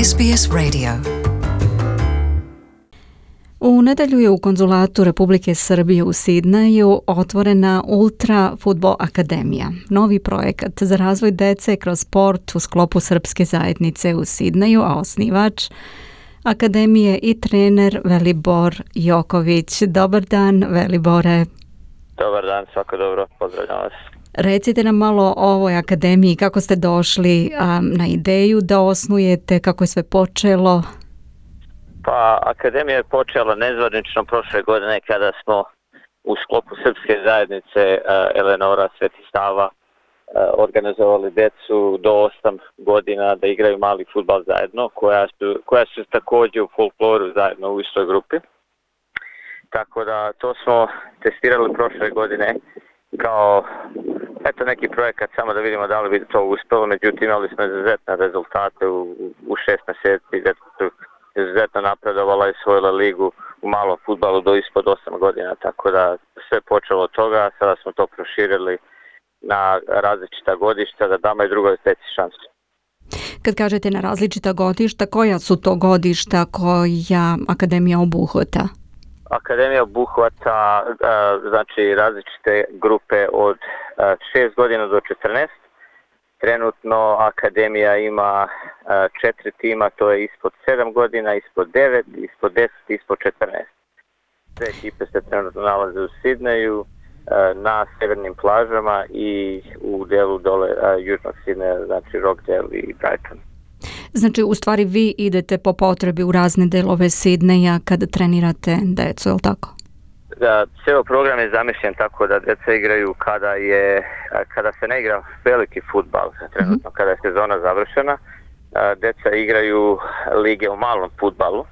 SBS Radio. U nedelju je u konzulatu Republike Srbije u Sidneju otvorena Ultra Fudbal Akademija, novi projekat za razvoj dece kroz sport u sklopu srpske zajednice u Sidneju, a osnivač Akademije i trener Velibor Joković. Dobar dan, Velibore. Dobar dan, svako dobro, pozdravljam vas. Recite nam malo o ovoj akademiji, kako ste došli na ideju da osnujete, kako je sve počelo? Pa, akademija je počela nezvanično prošle godine kada smo u sklopu srpske zajednice Eleonora Sveti Sava organizovali decu do 8 godina da igraju mali fudbal zajedno, koja su također u folkloru zajedno u istoj grupi. Tako da to smo testirali prošle godine kao neki projekat samo da vidimo da li bi to uspelo, međutim imali smo izuzetne rezultate u 6 mjeseci, gdje su izuzetno napredovala i osvojila ligu u malom fudbalu do ispod 8 godina, tako da sve počelo od toga, sada smo to proširili na različita godišta da damo i drugoj deci šansu. Kad kažete na različita godišta, koja su to godišta koja akademija obuhvata? Akademija obuhvata znači različite grupe od 6 godina do 14. Trenutno akademija ima 4 tima, to je ispod 7 godina, ispod 9, ispod 10, ispod 14. Sve ekipe se trenutno nalaze u Sidneju, na severnim plažama i u delu dole južnog Sidneja, znači Rockdale i Brighton. Znači, u stvari vi idete po potrebi u razne delove Sidneja kada trenirate decu, je li tako? Da, cijel program je zamišljen tako da djeca igraju kada se ne igra veliki fudbal, trenutno kada je sezona završena, djeca igraju lige u malom fudbalu,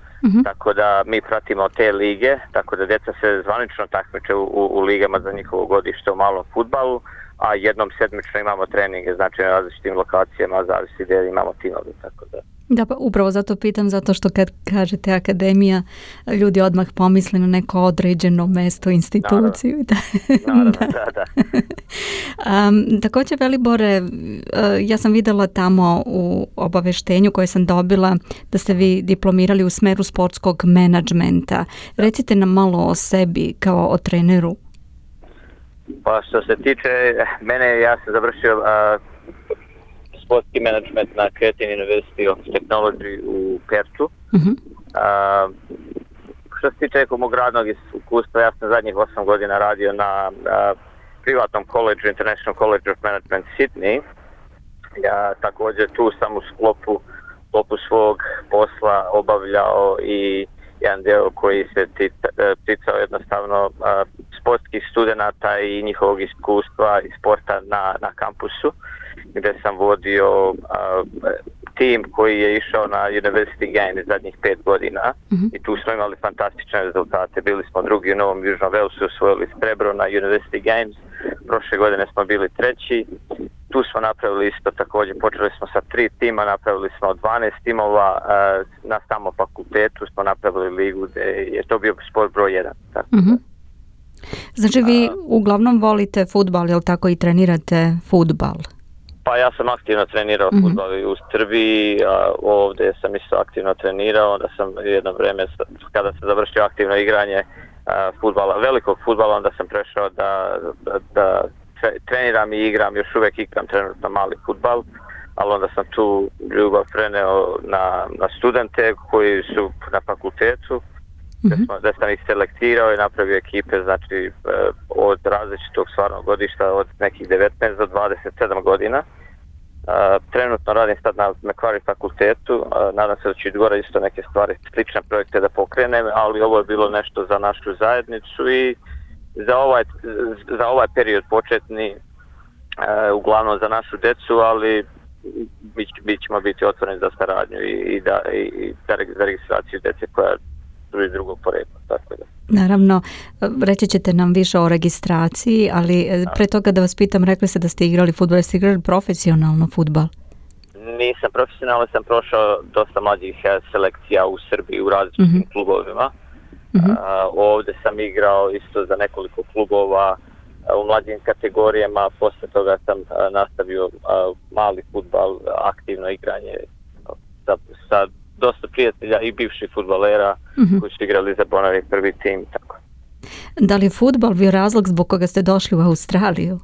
tako da mi pratimo te lige, tako da djeca se zvanično takmiče u ligama za njihovo godište u malom fudbalu, a jednom sedmično imamo treninge, znači na različitim lokacijama, zavisi gdje imamo timove, tako da. Da, pa upravo zato pitam, zato što kad kažete akademija, ljudi odmah pomisle na neko određeno mesto, instituciju. Naravno, da. Također, Velibore, ja sam videla tamo u obaveštenju koje sam dobila da ste vi diplomirali u smeru sportskog menadžmenta. Recite nam malo o sebi kao o treneru. Pa što se tiče mene, ja sam završio sportski management na Cretin University of Technology u Pertu. Što se tiče mog radnog iskustva, ja sam zadnjih 8 godina radio na privatnom koledžu, International College of Management Sydney. Ja također tu sam u sklopu svog posla obavljao i jedan dio koji se ticao jednostavno sportskih studenata i njihovog iskustva i sporta na kampusu, gdje sam vodio tim koji je išao na University Games zadnjih 5 godina i tu smo imali fantastične rezultate. Bili smo drugi u Novom Južnom Walesu, osvojili srebro na University Games, prošle godine smo bili treći. Tu smo napravili isto također, počeli smo sa 3 tima, napravili smo 12 timova, na samom fakultetu smo napravili ligu gdje je to bio sport broj 1. Tako da. Znači vi uglavnom volite fudbal, je li tako, i trenirate fudbal? Pa ja sam aktivno trenirao fudbal i u Srbiji, ovdje sam isto aktivno trenirao, onda sam jedno vrijeme kada sam završio aktivno igranje fudbala, velikog fudbala, onda sam prešao da treniram i igram, još uvijek igram trenutno mali fudbal, ali onda sam tu ljubav preneo na studente koji su na fakultetu, da sam ih selektirao i napravio ekipe, znači od različitog stvarnog godišta, od nekih 19 do 27 godina. Trenutno radim sad na Macquarie fakultetu, nadam se da ću gore isto neke stvari, slične projekte da pokrenem, ali ovo je bilo nešto za našu zajednicu i za ovaj period početni, uglavnom za našu decu, ali mi ćemo biti otvoreni za saradnju i za registraciju dece koja iz drugog porekla, tako da. Naravno, reći ćete nam više o registraciji, ali pre toga da vas pitam, rekli ste da ste igrali fudbal, ste igrali profesionalno fudbal? Nisam profesionalno, sam prošao dosta mlađih selekcija u Srbiji u različitim klubovima. Ovdje sam igrao isto za nekoliko klubova u mlađim kategorijama, posle toga sam nastavio mali fudbal, aktivno igranje sa prijatelja i bivših fudbalera koji su igrali za Bonavi prvi tim. Tako. Da li je fudbal bio razlog zbog koga ste došli u Australiju?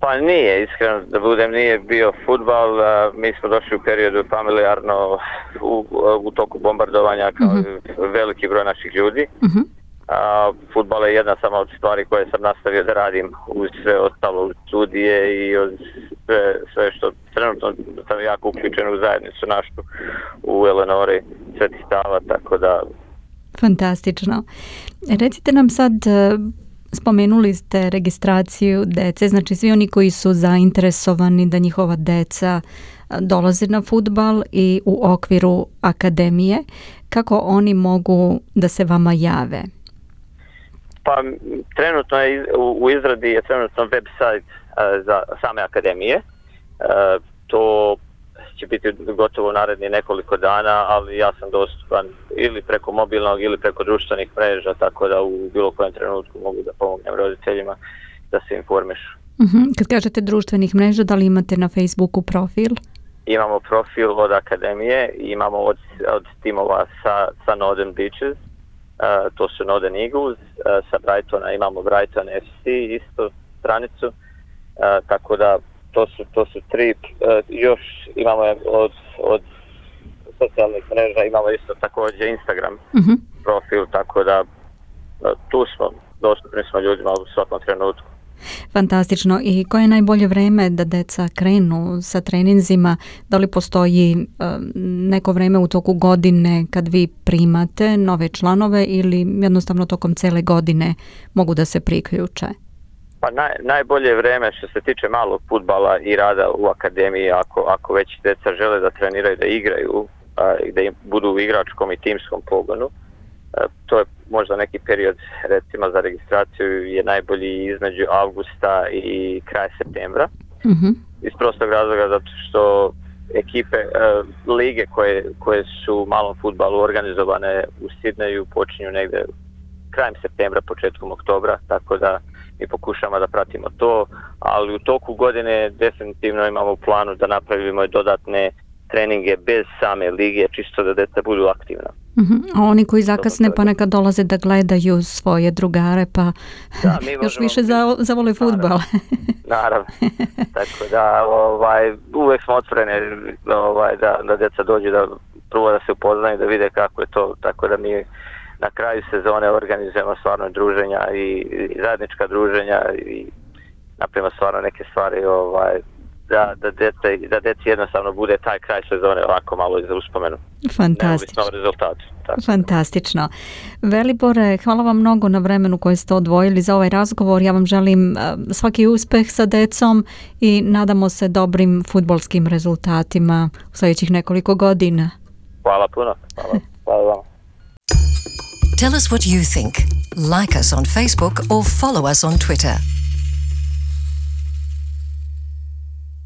Pa nije, iskreno da budem, nije bio fudbal. Mi smo došli u periodu familijarno u toku bombardovanja kao veliki broj naših ljudi. Fudbal je jedna sama od stvari koje sam nastavio da radim uz sve ostalo, uz studije i uz sve što trenutno sam jako uključen u zajednicu našu u Eleonori, Sveti Sava, tako da... Fantastično. Recite nam sad, spomenuli ste registraciju dece, znači svi oni koji su zainteresovani da njihova deca dolaze na fudbal i u okviru akademije, kako oni mogu da se vama jave? Pa trenutno je u izradi je trenutno website za same akademije. To će biti gotovo u narednih nekoliko dana, ali ja sam dostupan ili preko mobilnog ili preko društvenih mreža, tako da u bilo kojem trenutku mogu da pomognem roditeljima da se informišu. Kad kažete društvenih mreža, da li imate na Facebooku profil? Imamo profil od akademije, imamo od timova sa Northern Beaches, to su Northern Eagles, sa Brightona imamo Brighton FC isto stranicu, tako da to su tri, još imamo od socijalnih mreža, imamo isto također Instagram profil, tako da tu smo, dostupni smo ljudima u svakom trenutku. Fantastično. I koje je najbolje vreme da deca krenu sa treninzima? Da li postoji neko vreme u toku godine kad vi primate nove članove ili jednostavno tokom cele godine mogu da se priključe? Pa najbolje vreme što se tiče malog fudbala i rada u akademiji, ako već deca žele da treniraju, da igraju i da im budu u igračkom i timskom pogonu, to je možda neki period, recimo za registraciju je najbolji između avgusta i kraja septembra. Iz prostog razloga zato što ekipe, lige koje su u malom fudbalu organizovane u Sidneju počinju negde krajem septembra, početkom oktobra, tako da mi pokušamo da pratimo to, ali u toku godine definitivno imamo u planu da napravimo dodatne treninge bez same lige, čisto da deca budu aktivna. A oni koji zakasne pa nekad dolaze da gledaju svoje drugare, pa da, još više zavole fudbal. Naravno. Tako da uvek smo otvoreni da deca dođu da prvo da se upoznaju, da vide kako je to, tako da mi na kraju sezone organizujemo stvarno druženja i zajednička druženja i napravimo stvarno neke stvari da deci jednostavno bude taj kraj sezone ovako malo za uspomenu. Fantastično. Neovisno o rezultatu. Fantastično. Velibore, hvala vam mnogo na vremenu koje ste odvojili za ovaj razgovor. Ja vam želim svaki uspeh sa decom i nadamo se dobrim fudbalskim rezultatima u sljedećih nekoliko godina. Hvala puno. Hvala vam. Tell us what you think. Like us on Facebook or follow us on Twitter.